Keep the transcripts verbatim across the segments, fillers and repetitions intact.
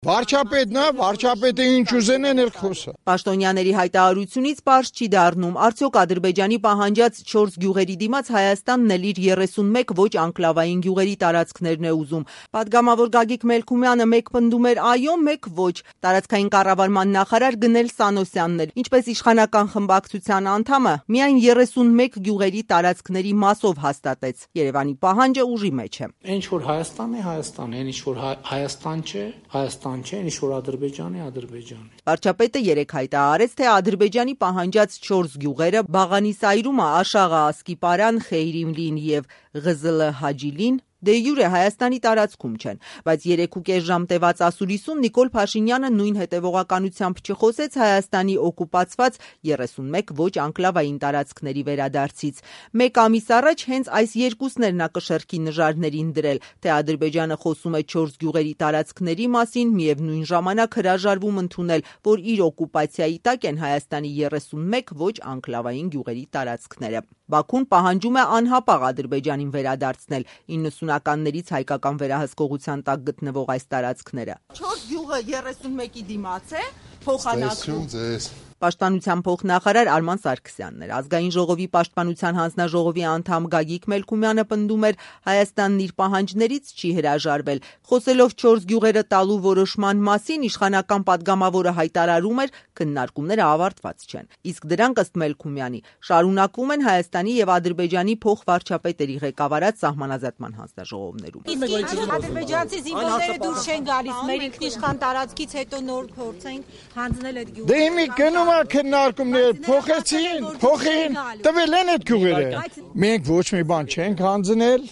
Վարչապետն է, վարչապետը ինչ ուզեն են էլ խոսա։ Պաշտոնյաների հայտարարությունից պարզ չի դառնում, արդյոք Ադրբեջանի պահանջած չորս գյուղերի դիմաց Հայաստանն էլ իր երեսունմեկ ոչ անկլավային գյուղերի տարածքներն է ուզում։ Պատգամավոր Գագիկ Մելքումյանը մեկ պնդում էր այո, մեկ ոչ։ Տարածքային կառավարման նախարար Գնել Սանոսյանն էլ, ինչպես իշխանական խմբակցության անդամը, միայն երեսունմեկ գյուղերի տարածքների մասով հաստատեց։ Երևանի պահանջը ուժի մեջ է։ Ինչ որ Հայաստանն է, Հայաստան է, ինչ որ Հայաստան չէ, Հայաստան չէ, ինչ որ Ադրբեջան է, Ադրբեջան է։ Վարչապետը երեկ հայտարարեց, թե Ադրբեջանի պահանջած չորս գյուղերը՝ Բաղանիսայրումը, Աշաղը, Ասկիպարան, Խեյրիմլին եւ Ղզլ Հաջիլին դե յուրե Հայաստանի տարածքում չեն, բայց երեք ու կես ժամ տևած ասուլիսում Նիկոլ Փաշինյանը նույն հետևողականությամբ չխոսեց Հայաստանի օկուպացված երեսունմեկ ոչ անկլավային տարածքների վերադարձից։ Մեկ ամիս առաջ հենց այս երկուսն էր նա կշեռքի նժարներին դրել, թե Ադրբեջանը խոսում է չորս գյուղերի տարածքների մասին, միևնույն ժամանակ հրաժարվում ընդունել, որ իր օկուպացիայի տակ են Հայաստանի երեսունմեկ ոչ անկլավային գյուղերի տարածքները։ Բաքուն պահանջում է անհապաղ Ադրբեջանին վերադարձնել իննսունականներից հայկական վերահսկողության տակ գտնվող այս տարածքները։ Չորս գյուղը երեսունմեկի դիմաց է, փոխանակում։ Պաշտպանության փոխնախարար Արման Սարգսյանն էր։ Ազգային ժողովի պաշտպանության հանձնաժողովի անդամ Գագիկ Մելքումյանը պնդում էր Հայաստանն իր պահանջներից չի հրաժարվել։ Խոսելով չորս գյուղերը տալու որոշման մասին, իշխանական պատգամավորը հայտարարում էր, քննարկումները ավարտված չեն։ Իսկ դրանք ըստ Մելքումյանի շարունակվում են Հայաստանի եւ Ադրբեջանի փոխվարչապետերի ղեկավարած սահմանազատման հանձնաժողովներում։ Ադրբեջանցի զինվորները դուրս չեն գալիս, մեր ինքնիշխան տարածքից հետո նոր փորձենք հանձնել այդ գյուղերը։ Դե իմի գնում է քննարկումներ, փոխեցին, փոխին, տվել են այդ գյուղերը։ Մենք ոչ մի բան չենք հանձնել,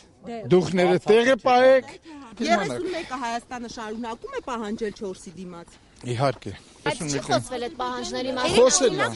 դուխները տեղը պահեք։ երեսունմեկը Հայաստանը շարունակում է պահանջել չորսի դիմաց։ Իհարկե։ Այդ չի խոսվել այդ պահանջների Խոսել է։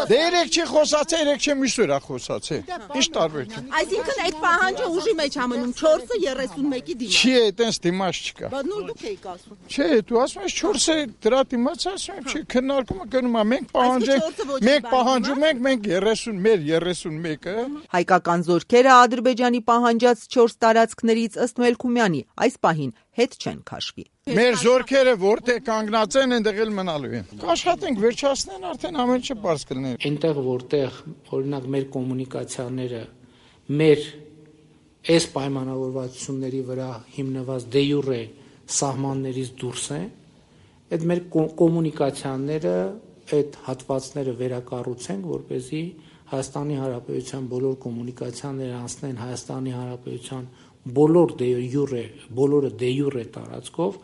Դե երեք չի խոսացել, երեք չի միշտ է խոսացել։ Ինչ տարբերություն։ Այսինքն այդ պահանջը ուժի մեջ ամնում չորսը երեսունմեկի դիմաց։ Չի, այտենց դիմաց չկա։ Բայց նոր դուք եք ասում։ Չէ, դու ասում ես չորսը դրա դիմաց ասում եմ, չի, քննարկումը գնում է, մենք պահանջենք, մենք պահանջում ենք, մենք երեսուն, մեր երեսունմեկը։ Հայկական զորքերը Ադրբեջանի պահանջած չորս տարածքներից ըստ Մելքումյանի այս պահին հետ չեն քաշվի։ Մեր զորքերը որտեղ կանգնած են, այնտեղ էլ մնալու են։ Կաշխատենք վերջացնեն, արդեն ամեն ինչը բարձ կլինի։ Այնտեղ որտեղ օրինակ մեր կոմունիկացիաները մեր այս պայմանավորվածությունների վրա հիմնված դե յուրե սահմաններից դուրս են, այդ մեր կոմունիկացիաները, այդ հատվածները վերակառուցենք, որպեսզի Հայաստանի Հանրապետության բոլոր կոմունիկացիաները անցնեն Հայաստանի Հանրապետության բոլոր դե յուրե, բոլորը դե յուրե տարածքով,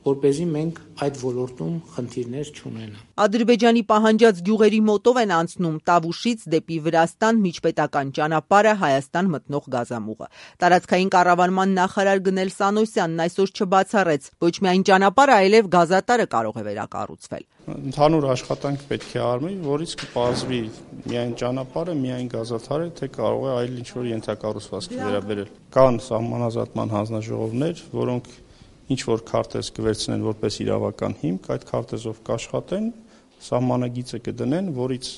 որպեսզի մենք այդ ոլորտում խնդիրներ չունենանք։ Ադրբեջանի պահանջած գյուղերի մոտով են անցնում Տավուշից դեպի Վրաստան միջպետական ճանապարհը Հայաստան մտնող գազամուղը։ Տարածքային կառավարման նախարար Գնել Սանոսյանն այսօր չբացառեց, ոչ միայն ճանապարհը, այլև գազատարը կարող է վերակառուցվել։ Ընդհանուր աշխատանք պետք է արվի, որից կպարզվի միայն ճանապարհը, միայն գազաթարը, թե կարող է այլ ինչ-որ ենթակառուցվածքի վերաբերել։ Կան սահմանազատման հանձնաժողովներ, որոնք ինչ որ քարտեզ կվերցնեն որպես իրավական հիմք, այդ քարտեզով կաշխատեն, սահմանագիծը կդնեն, որից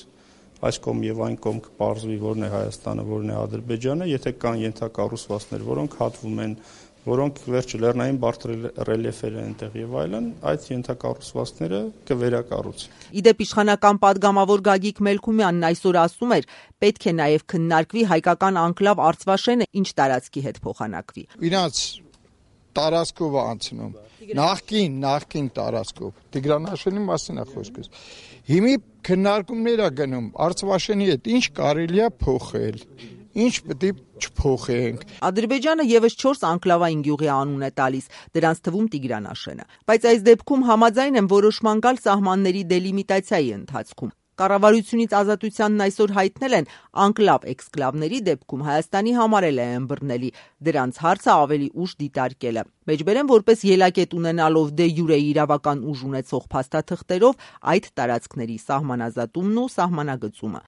այս կողմ եւ այն կողմ կպարզվի որն է Հայաստանը, որն է Ադրբեջանը, եթե կան ենթակառուցվածքներ, որոնք հատվում են, որոնք վերջը լեռնային բարդ ռելիեֆեր են այնտեղ եւ այլն, այդ ենթակառուցվածքները կվերակառուցեն։ Իդեպ իշխանական պատգամավոր Գագիկ Մելքումյանն այսօր ասում էր, պետք է նաեւ քննարկվի հայկական անկլավ Արցվաշենը ինչ տարածքի հետ փոխանակվի։ Իրանց տարածքով անցնում, նախքին, նախքին տարածքով, Տիգրանաշենի մասին է խոսքս, հիմի քննարկումներ է գնում, Արցվաշենի հետ ինչ կարելի է փոխել, ինչ պետք է չփոխենք։ Ադրբեջանը եւս չորս անկլավային գյուղի անուն է տալիս, դրանց թվում Տիգրանաշենը, բայց այս դեպքում համաձայն են որոշման գալ սահմանների դելիմիտացիայի ընթացքում։ Կառավարությունից Ազատությանն այսօր հայտնել են անկլավ-էքսկլավների դեպքում Հայաստանի համարել է ըմբռնելի, դրանց հարցը ավելի ուշ դիտարկելը։ Մեջբերեն որպես ելակետ ունենալով դե յուրե իրավական ուժ ունեցող փաստաթղթերով այդ տարածքների սահմանազատումն ու սահմանագծումը։